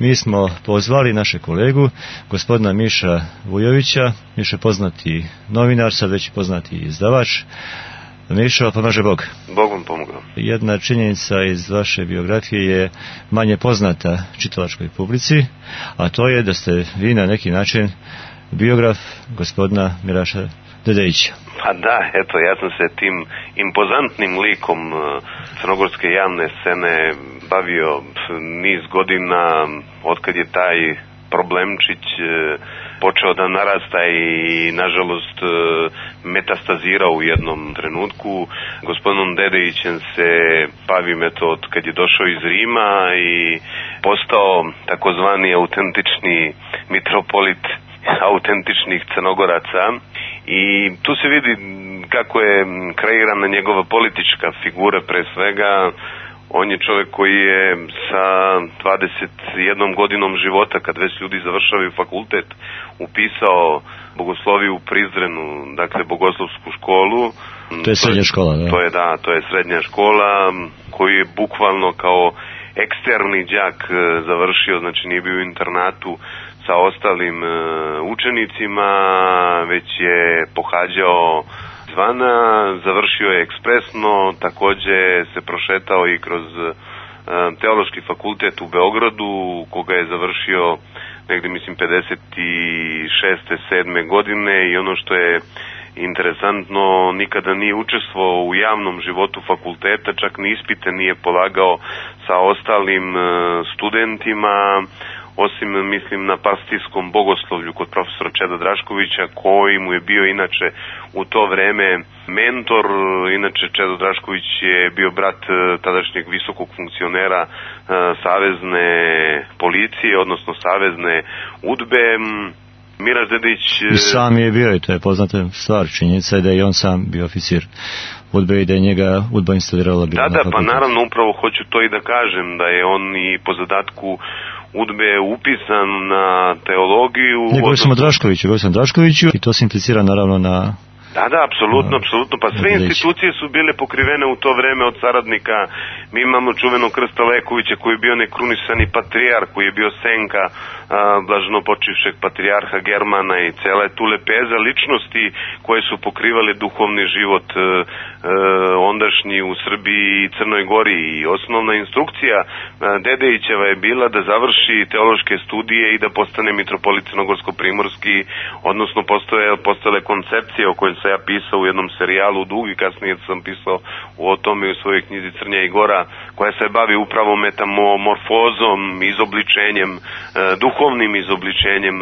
mi smo pozvali naše kolegu, gospodina Miša Vujovića, Miša poznati novinar, sad već poznati izdavač. Mišo, pomaže Bog. Bog vam pomogao. Jedna činjenica iz vaše biografije je manje poznata čitalačkoj publici, a to je da ste vi na neki način biograf gospodina Miraša Dedejića. Pa da, eto, ja sam se tim impozantnim likom crnogorske javne scene bavio niz godina, otkad je taj problemčić počeo da narasta i nažalost metastazirao u jednom trenutku. Gospodinom Dedejićem se bavim eto od kad je došao iz Rima i postao takozvani autentični mitropolit autentičnih Crnogoraca. I tu se vidi kako je kreirana njegova politička figura pre svega. On je čovjek koji je sa 21 godinom života, kad već ljudi završavaju fakultet, upisao bogosloviju u Prizrenu, dakle bogoslovsku školu. To je srednja škola, da? To je srednja škola koju je bukvalno kao eksterni đak završio, znači nije bio u internatu sa ostalim učenicima, već je pohađao zvana, završio je ekspresno, takođe se prošetao i kroz teološki fakultet u Beogradu, koga je završio negde mislim 56. 7. godine i ono što je interesantno, nikada nije učestvovao u javnom životu fakulteta, čak ni ispite nije polagao sa ostalim studentima, osim mislim na pastijskom bogoslovlju kod profesora Čeda Draškovića, koji mu je bio inače u to vreme mentor. Inače Čedo Drašković je bio brat tadašnjeg visokog funkcionera savezne policije, odnosno savezne UDBE. Miraš Dedejić... Sam je bio i to je poznata stvar, činjenica je da je on sam bio oficir UDBE i da je njega UDBA instalirala. Da, pa naravno upravo hoću to i da kažem, da je on i po zadatku UDBE je upisan na teologiju. Govorio sam o Draškoviću i to se implicira naravno na... Da, apsolutno, pa sve institucije su bile pokrivene u to vreme od saradnika. Mi imamo čuvenog Krsta Lekovića koji je bio nekrunisani patrijarh, koji je bio senka blaženo počivšeg patrijarha Germana i cela je tu lepeza ličnosti koje su pokrivale duhovni život ondašnji u Srbiji i Crnoj Gori. I osnovna instrukcija Dedejićeva je bila da završi teološke studije i da postane mitropolit crnogorsko-primorski, odnosno postojale koncepcije o kojoj sam ja pisao u jednom serijalu dugi, kasnije sam pisao o tome u svojoj knjizi Crnja i Gora, koja se bavi upravo metamorfozom, izobličenjem, duhovnim izobličenjem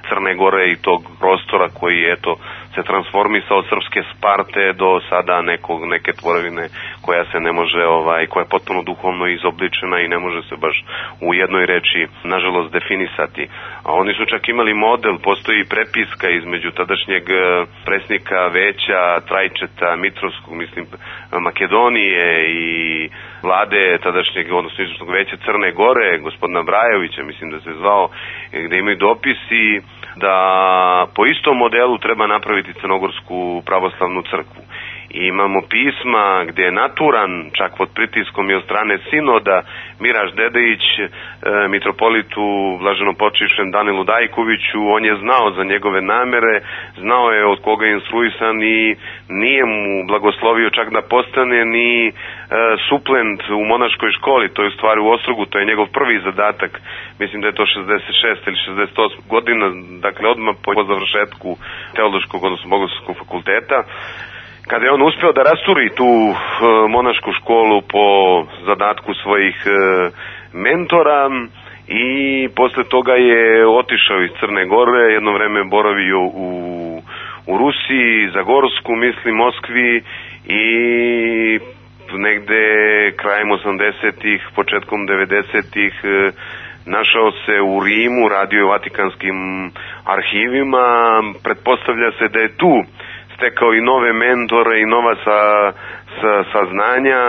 Crne Gore i tog prostora koji eto se transformisao od srpske Sparte do sada neke tvorevine koja se ne može, koja je potpuno duhovno izobličena i ne može se baš u jednoj reči nažalost definisati. A oni su čak imali model, postoji prepiska između tadašnjeg predsjednika veća Trajčeta Mitrovskog, mislim Makedonije i vlade tadašnjeg, odnosno izvršnog veća Crne Gore, gospodina Brajovića, mislim da se zvao, gde imaju dopisi da po istom modelu treba napraviti Crnogorsku pravoslavnu crkvu. I imamo pisma gdje je naturan, čak pod pritiskom i od strane sinoda, Miraš Dedejić, mitropolitu blaženopočivšem Danilu Dajkoviću, on je znao za njegove namere, znao je od koga je instruisan i nije mu blagoslovio čak da postane ni suplent u monaškoj školi, to je u stvari u Ostrogu, to je njegov prvi zadatak, mislim da je to 66 ili 68 godina, dakle odmah po završetku teološkog, odnosno bogoslovskog fakulteta. Kada je on uspeo da rasturi tu monašku školu po zadatku svojih mentora i posle toga je otišao iz Crne Gore, jedno vreme boravio u Rusiji, Zagorsku, mislim, Moskvi i negde krajem 80-ih, početkom 90-ih našao se u Rimu, radio je u Vatikanskim arhivima, pretpostavlja se da je tu stekao i nove mentore i nova saznanja.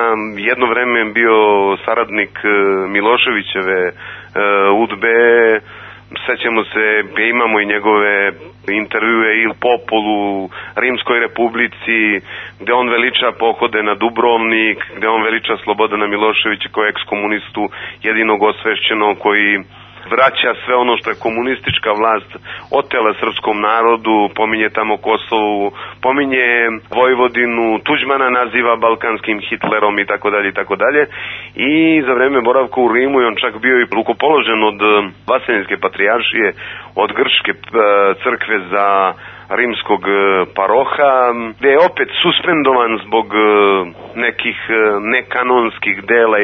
Jedno vreme je bio saradnik Miloševićeve UDBE, sećamo se, imamo i njegove intervjue Il Popolu, Rimskoj republici, gde on veliča pohode na Dubrovnik, gde on veliča Slobodana Miloševića kao ekskomunistu, jedinog osvešćenog koji vraća sve ono što je komunistička vlast otela srpskom narodu, pominje tamo Kosovu, pominje Vojvodinu, Tuđmana naziva balkanskim Hitlerom i tako dalje i tako dalje. I za vreme boravka u Rimu je on čak bio i rukopoložen od Vaseljenske patrijaršije, od grčke crkve za rimskog paroha, gde je opet suspendovan zbog nekih nekanonskih dela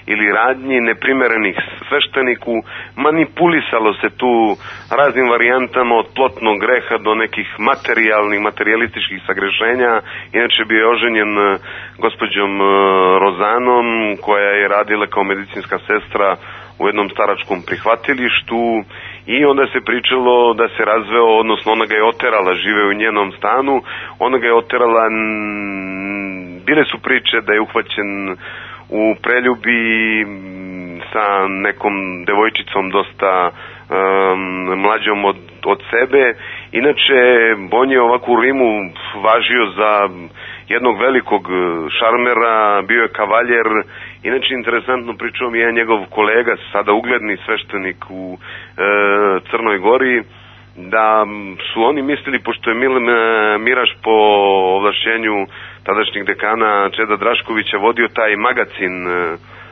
ili radnji neprimerenih svešteniku. Manipulisalo se tu raznim varijantama od plotnog greha do nekih materijalističkih sagrešenja. Inače bio je oženjen gospođom Rozanom, koja je radila kao medicinska sestra u jednom staračkom prihvatilištu, i onda se pričalo da se razveo, odnosno ona ga je oterala, žive u njenom stanu, ona ga je oterala, bile su priče da je uhvaćen u preljubi sa nekom devojčicom dosta mlađom od sebe. Inače, on je ovako u Rimu važio za jednog velikog šarmera, bio je kavaljer. Inače, interesantno pričao mi je njegov kolega, sada ugledni sveštenik u Crnoj Gori, da su oni mislili, pošto je Miraš po ovlašćenju tadašnjeg dekana Čeda Draškovića vodio taj magazin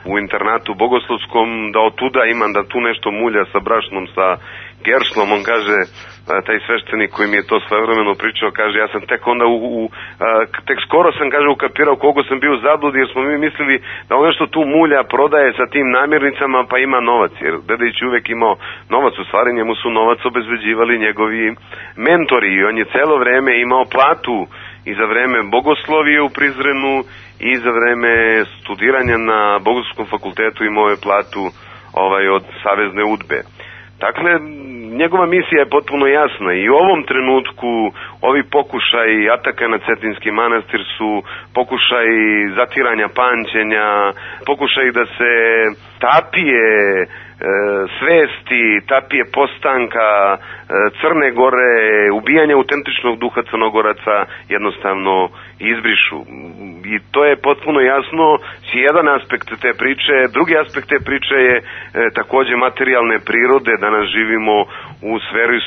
u internatu bogoslovskom, da od tuda ima, da tu nešto mulja sa brašnom, sa Gerslom. On kaže, taj sveštenik koji mi je to svojevremeno pričao, kaže, ja sam tek onda tek skoro sam, kaže, ukapirao koliko sam bio u zabludi, jer smo mi mislili da on nešto tu mulja prodaje sa tim namirnicama pa ima novac, jer Dedić uvek imao novac, u stvari njemu su novac obezbeđivali njegovi mentori i on je celo vreme imao platu i za vreme bogoslovije u Prizrenu i za vreme studiranja na Bogoslovskom fakultetu imao je platu od Savezne UDBE. Dakle, njegova misija je potpuno jasna i u ovom trenutku ovi pokušaj ataka na Cetinski manastir su pokušaj zatiranja pamćenja, pokušaj da se tapije svesti, tapije postanka Crne Gore, ubijanja autentičnog duha Crnogoraca jednostavno izbrišu. I to je potpuno jasno, jedan aspekt te priče. Drugi aspekt te priče je takođe materijalne prirode. Danas živimo u sferi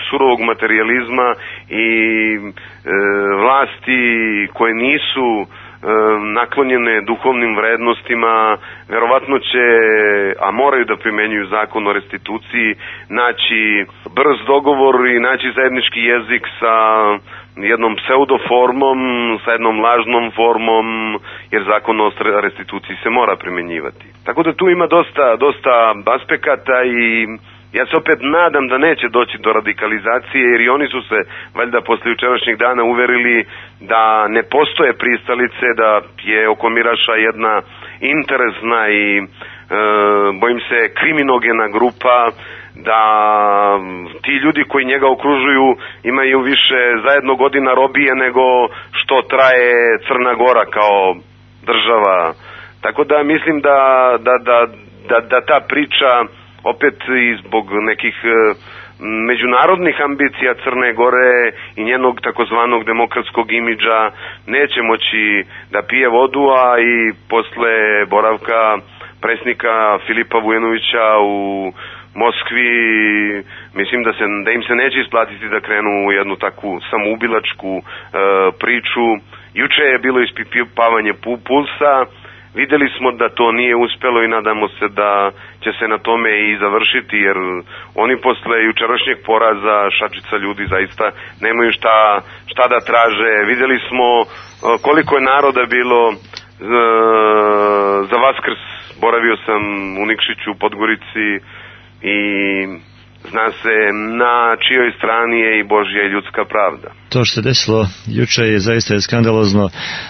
surovog materijalizma i vlasti koje nisu naklonjene duhovnim vrednostima, verovatno će, a moraju da primenjuju zakon o restituciji, naći brz dogovor i naći zajednički jezik sa jednom pseudoformom, sa jednom lažnom formom, jer zakon o restituciji se mora primenjivati. Tako da tu ima dosta aspekata i ja se opet nadam da neće doći do radikalizacije, jer i oni su se valjda posle jučerašnjeg dana uverili da ne postoje pristalice, da je oko Miraša jedna interesna i bojim se kriminogena grupa, da ti ljudi koji njega okružuju imaju više zajedno godina robije nego što traje Crna Gora kao država. Tako da mislim da ta priča opet i zbog nekih međunarodnih ambicija Crne Gore i njenog takozvanog demokratskog imidža neće moći da pije vodu, a i posle boravka predsjednika Filipa Vujanovića u Moskvi, mislim da im se neće isplatiti da krenu u jednu takvu samoubilačku priču. Juče je bilo ispipavanje pulsa, videli smo da to nije uspelo i nadamo se da će se na tome i završiti, jer oni posle jučerašnjeg poraza šačica ljudi zaista nemaju šta da traže. Videli smo koliko je naroda bilo za Vaskrs. Boravio sam u Nikšiću, u Podgorici, i zna se na čijoj strani je i Božja i ljudska pravda. To što se desilo juče je zaista skandalozno.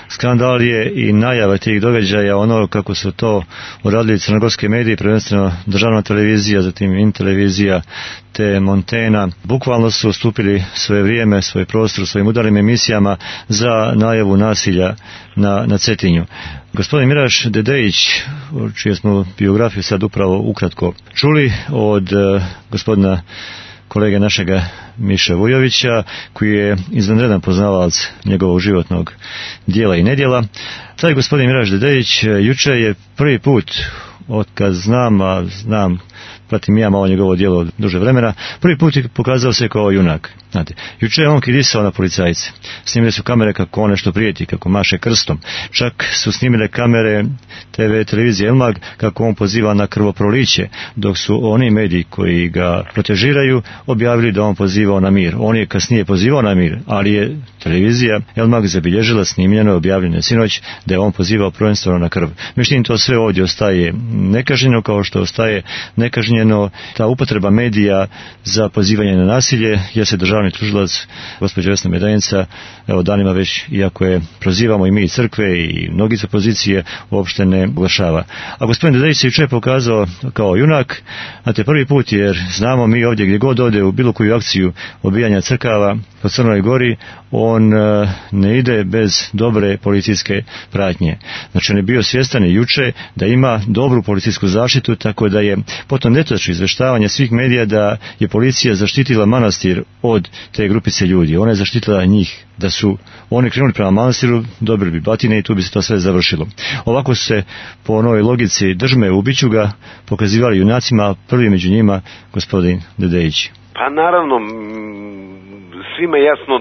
Skandal je i najava tih događaja, ono kako su to uradili crnogorske medije, prvenstveno državna televizija, zatim Intelevizija te Montena. Bukvalno su ustupili svoje vrijeme, svoj prostor, svojim udarnim emisijama za najavu nasilja na Cetinju. Gospodin Miraš Dedejić, čiju smo biografiju sad upravo ukratko čuli od gospodina kolege našega Miše Vujovića, koji je izvanredan poznavalac njegovog životnog dijela i nedjela. Taj gospodin Miraš Dedejić juče je prvi put, otkad znam pratim ja malo njegovo djelo od duže vremena, prvi put je pokazao se kao junak. Znate, juče je on kidisao na policajce. Snimile su kamere kako on nešto prijeti, kako maše krstom. Čak su snimile kamere televizije Elmag kako on poziva na krvoproliće, dok su oni mediji koji ga protežiraju objavili da on pozivao na mir. On je kasnije pozivao na mir, ali je televizija Elmag zabilježila, snimljeno i objavljeno sinoć da je on pozivao prvenstveno na krv. Međutim, to sve ovdje ostaje nekažnjeno, kao što ostaje nekažnjeno ta upotreba medija za pozivanje na nasilje, jer se državni tužilac, gospođa Vesna Medanica, evo danima već, iako je prozivamo i mi i crkve i mnogi sa pozicije, uopšte ne oglašava. A gospodin Dedejić se jučer pokazao kao junak, znate, prvi put, jer znamo mi ovdje gdje god ode u bilo koju akciju obijanja crkava po Crnoj Gori, on ne ide bez dobre policijske pratnje. Znači, on je bio svjestan i juče da ima dobru policijsku zaštitu, tako da je potom netočno izveštavanje svih medija da je policija zaštitila manastir od te grupice ljudi. Ona je zaštitila njih. Da su oni krenuli prema manastiru, dobili bi batine i tu bi se to sve završilo. Ovako su se po onoj logici držme ubiću ga pokazivali junacima, prvi među njima gospodin Dedejić. Pa naravno, svima jasno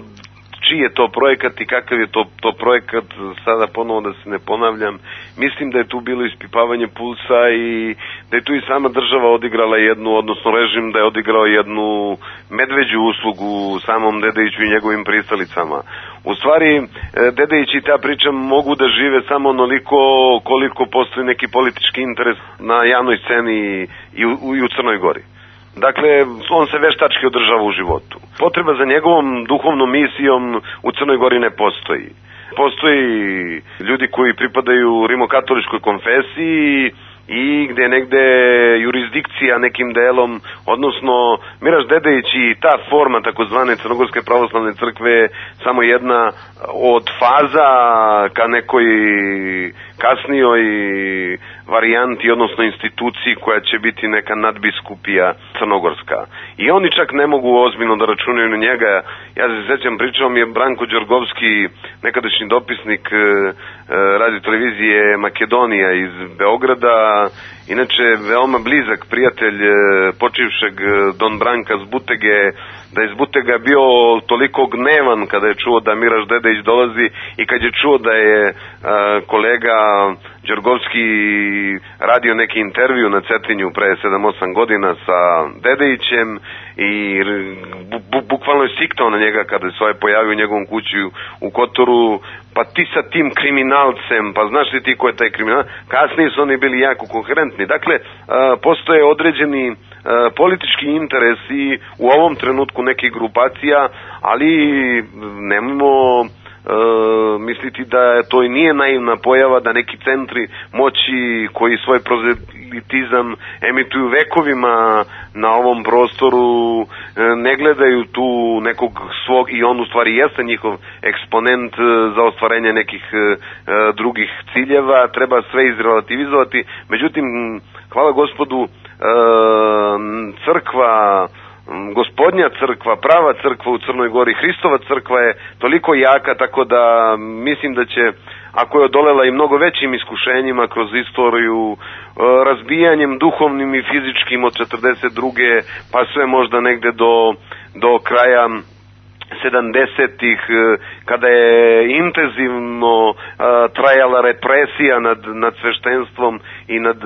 čiji je to projekat i kakav je to projekat, sada ponovo da se ne ponavljam. Mislim da je tu bilo ispipavanje pulsa i da je tu i sama država odigrala jednu, odnosno režim da je odigrao jednu medveđu uslugu samom Dedejiću i njegovim pristalicama. U stvari, Dedejić i ta priča mogu da žive samo onoliko koliko postoji neki politički interes na javnoj sceni i u Crnoj Gori. Dakle, on se veštački održava u životu. Potreba za njegovom duhovnom misijom u Crnoj Gori ne postoji. Postoji ljudi koji pripadaju rimokatoličkoj konfesiji i gde je negde jurisdikcija nekim delom, odnosno Miraš Dedejić i ta forma takozvane Crnogorske pravoslavne crkve samo jedna od faza ka nekoj kasnijoj varijanti, odnosno instituciji koja će biti neka nadbiskupija crnogorska. I oni čak ne mogu ozbiljno da računaju na njega. Ja se sjećam, pričao mi je Branko Đorgovski, nekadašnji dopisnik radio televizije Makedonija iz Beograda, inače veoma blizak prijatelj počivšeg Don Branka Zbutege, da je Zbutega bio toliko gnevan kada je čuo da Miraš Dedejić dolazi i kad je čuo da je kolega Đorgovski radio neki intervju na Cetinju pre 7-8 godina sa Dedejićem i bukvalno je siktao na njega kada se ovaj pojavio u njegovom kući u Kotoru, pa ti sa tim kriminalcem, pa znaš li ti ko je taj kriminal? Kasnije su oni bili jako koherentni. Dakle, postoje određeni politički interesi u ovom trenutku nekih grupacija, ali nemojmo misliti da to i nije naivna pojava da neki centri moći koji svoj prozelitizam emituju vekovima na ovom prostoru ne gledaju tu nekog svog, i on u stvari jeste njihov eksponent za ostvarenje nekih drugih ciljeva, treba sve izrelativizovati. Međutim, hvala Gospodu, crkva, Gospodnja crkva, prava crkva u Crnoj Gori, Hristova crkva je toliko jaka, tako da mislim da će, ako je odolela i mnogo većim iskušenjima kroz istoriju, razbijanjem duhovnim i fizičkim od 42. pa sve možda negde do kraja 70-ih, kada je intenzivno trajala represija nad sveštenstvom i nad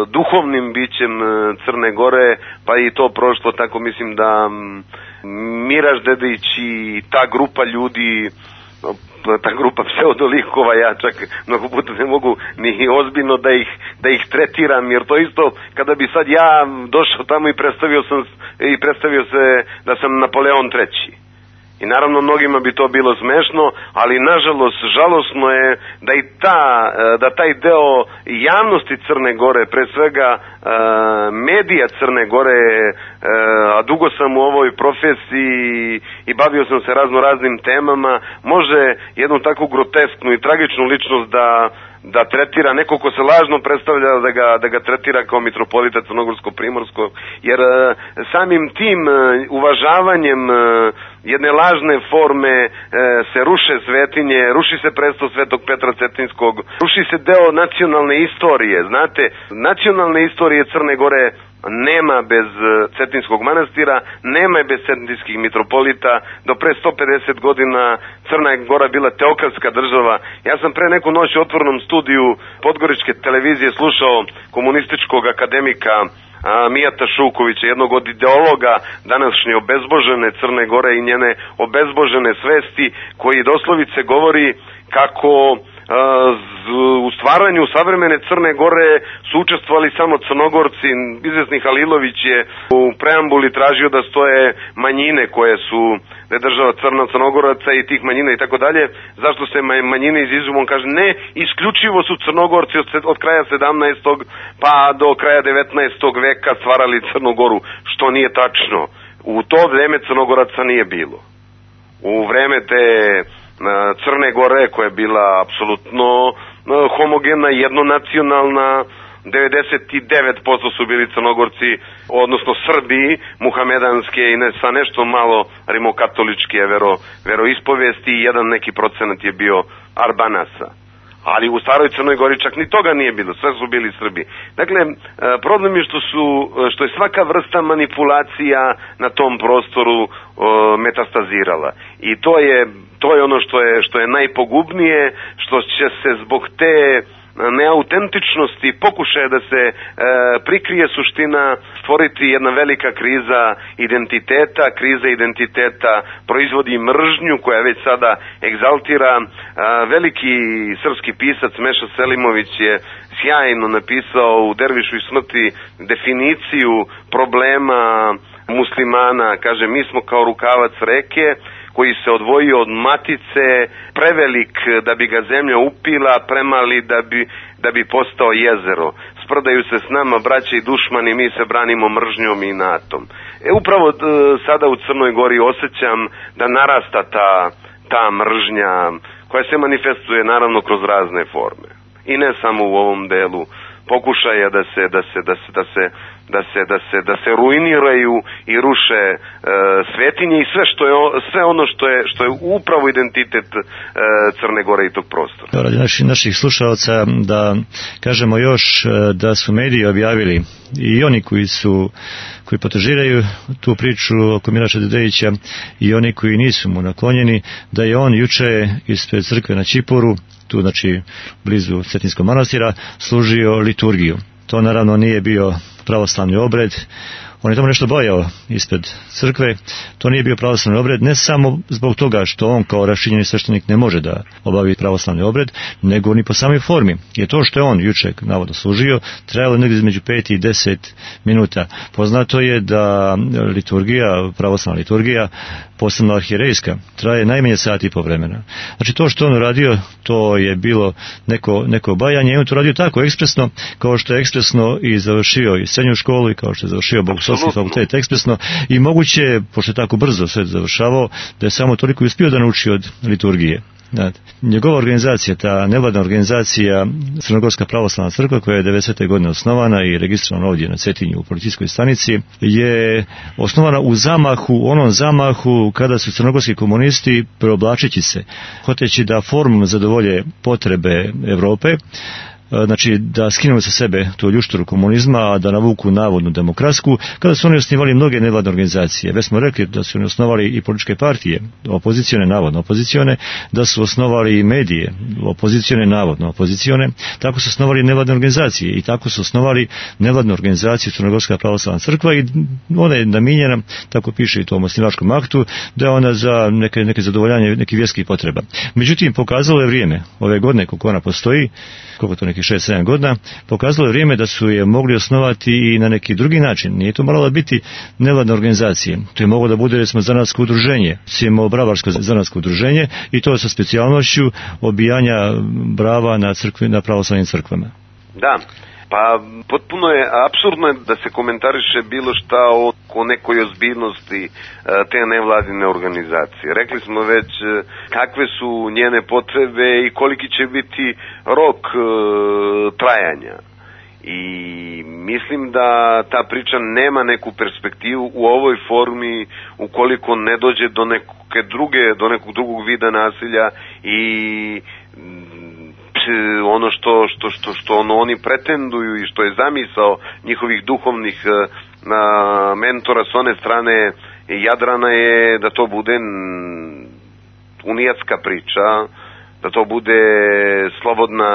duhovnim bićem Crne Gore, pa i to prošlo, tako mislim da Miraš Dedejić i ta grupa ljudi, ta grupa pseudolikova, ja čak mnogo puta ne mogu ni ozbiljno da ih tretiram, jer to isto kada bi sad ja došao tamo i predstavio se da sam Napoleon III. I naravno mnogima bi to bilo smešno, ali nažalost žalosno je da taj deo javnosti Crne Gore, pre svega medija Crne Gore, a dugo sam u ovoj profesiji i bavio sam se raznim temama, može jednu takvu grotesknu i tragičnu ličnost da tretira neko ko se lažno predstavlja, da ga tretira kao mitropolita Crnogorsko-Primorsko, jer samim tim uvažavanjem jedne lažne forme se ruše svetinje, ruši se presto Svetog Petra Cetinskog, ruši se deo nacionalne istorije. Znate, nacionalne istorije Crne Gore nema bez Cetinskog manastira, nema je bez cetinskih mitropolita. Do pre 150 godina Crna Gora bila teokratska država. Ja sam pre neku noć u otvorenom studiju Podgoričke televizije slušao komunističkog akademika Mijata Šukovića, jednog od ideologa današnje obezbožene Crne Gore i njene obezbožene svesti, koji doslovice govori kako u stvaranju savremene Crne Gore su učestvovali samo Crnogorci. Izvesni Halilović je u preambuli tražio da stoje manjine koje su, da je država Crnogoraca i tih manjina i tako dalje. Zašto se manjine izuzmu? On kaže ne, isključivo su Crnogorci od kraja 17. pa do kraja 19. veka stvarali Crnu Goru, što nije tačno. U to vreme Crnogoraca nije bilo. U vreme te Crne Gore, koja je bila apsolutno homogena, jednonacionalna, 99% su bili Crnogorci, odnosno Srbi, muhamedanske i sa nešto malo rimokatoličke veroispovesti i jedan neki procenat je bio Arbanasa. Ali u staroj Crnoj Gori čak ni toga nije bilo, sve su bili Srbi. Dakle, problem je što je svaka vrsta manipulacija na tom prostoru metastazirala. I to je ono što je najpogubnije, što će se zbog te neautentičnosti, pokušaja da se prikrije suština, stvoriti jedna velika kriza identiteta proizvodi mržnju koja već sada egzaltira. Veliki srpski pisac Meša Selimović je sjajno napisao u Dervišu i smrti definiciju problema muslimana. Kaže, mi smo kao rukavac reke koji se odvojio od matice, prevelik da bi ga zemlja upila, premali da bi postao jezero. Sprdaju se s nama braća i dušmani, mi se branimo mržnjom i inatom. Upravo sada u Crnoj Gori osjećam da narasta ta mržnja koja se manifestuje naravno kroz razne forme. I ne samo u ovom delu pokušaja da se ruiniraju i ruše svetinje i sve ono što je upravo identitet Crne Gore i tog prostora. Radi naših slušalaca da kažemo još da su mediji objavili i oni koji potražiraju tu priču oko Miraša Dedejića i oni koji nisu mu naklonjeni, da je on juče ispred crkve na Ćiporu, tu znači blizu Cetinskog manastira, služio liturgiju. To naravno nije bio pravoslavni obred. On je tamo nešto bojao ispred crkve. To nije bio pravoslavni obred, ne samo zbog toga što on kao raščinjeni sveštenik ne može da obavi pravoslavni obred, nego ni po samoj formi. Je to što je on juče navodno služio, trajalo negdje između 5 i 10 minuta. Poznato je da liturgija, pravoslavna liturgija, posebno arhijerejska, traje najmanje sat i po vremena. Znači to što on uradio, to je bilo neko bajanje i on to radio tako ekspresno, kao što je ekspresno i završio i srednju školu i kao što je završio Bogoslovski fakultet ekspresno i moguće, pošto je tako brzo sve završavao, da je samo toliko uspio da nauči od liturgije. Njegova organizacija, ta nevladna organizacija Crnogorska pravoslavna crkva, koja je 90. godine osnovana i registrovana ovdje na Cetinju u policijskoj stanici, je osnovana u onom zamahu kada su crnogorski komunisti, preoblačeći se, hoteći da formom zadovolje potrebe Evrope, znači da skinu sa sebe tu ljušturu komunizma, a da navuku navodnu demokratsku, kada su oni osnivali mnoge nevladne organizacije. Već smo rekli da su oni osnovali i političke partije, opozicione, navodno opozicione, da su osnovali i medije, opozicione, navodno opozicione, tako su osnovali nevladne organizacije i tako su osnovali nevladnu organizaciju Crnogorska pravoslavna crkva i ona je namijenjena, tako piše i u tom osnivačkom aktu, da je ona za neke zadovoljanje nekih vjerskih potreba. Međutim, pokazalo je vrijeme, ove godine koliko ona postoji, koliko to nekih 6-7 godina, pokazalo je vrijeme da su je mogli osnovati i na neki drugi način. Nije to moralo biti nevladne organizacije. To je moglo da bude, recimo, zanatsko udruženje, Bravarsko zanatsko udruženje, i to sa specijalnošću obijanja brava na pravoslavnim crkvama. Da. Pa potpuno je apsurdno da se komentariše bilo šta o nekoj ozbiljnosti te nevladine organizacije. Rekli smo već kakve su njene potrebe i koliki će biti rok trajanja. i mislim da ta priča nema neku perspektivu u ovoj formi ukoliko ne dođe do nekog drugog vida nasilja i ono što oni pretenduju i što je zamisao njihovih duhovnih mentora s one strane Jadrana je da to bude unijatska priča, da to bude slobodna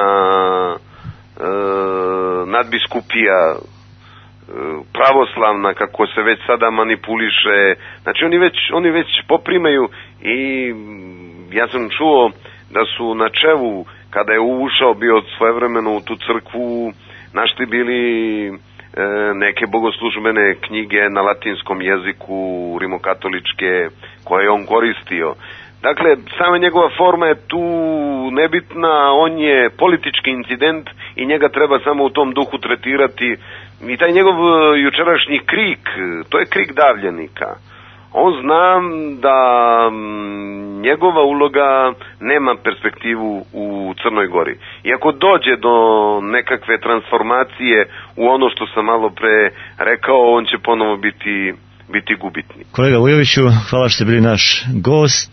nadbiskupija pravoslavna, kako se već sada manipuliše. Znači oni već poprimaju i ja sam čuo da su na Čevu, kada je ušao bio svojevremeno u tu crkvu, našli bili neke bogoslužbene knjige na latinskom jeziku, rimokatoličke, koje je on koristio. Dakle, sama njegova forma je tu nebitna, on je politički incident i njega treba samo u tom duhu tretirati. I taj njegov jučerašnji krik, to je krik davljenika. On zna da njegova uloga nema perspektivu u Crnoj Gori. I ako dođe do nekakve transformacije u ono što sam malo pre rekao, on će ponovo biti gubitnik. Kolega Vujoviću, hvala što ste bili naš gost.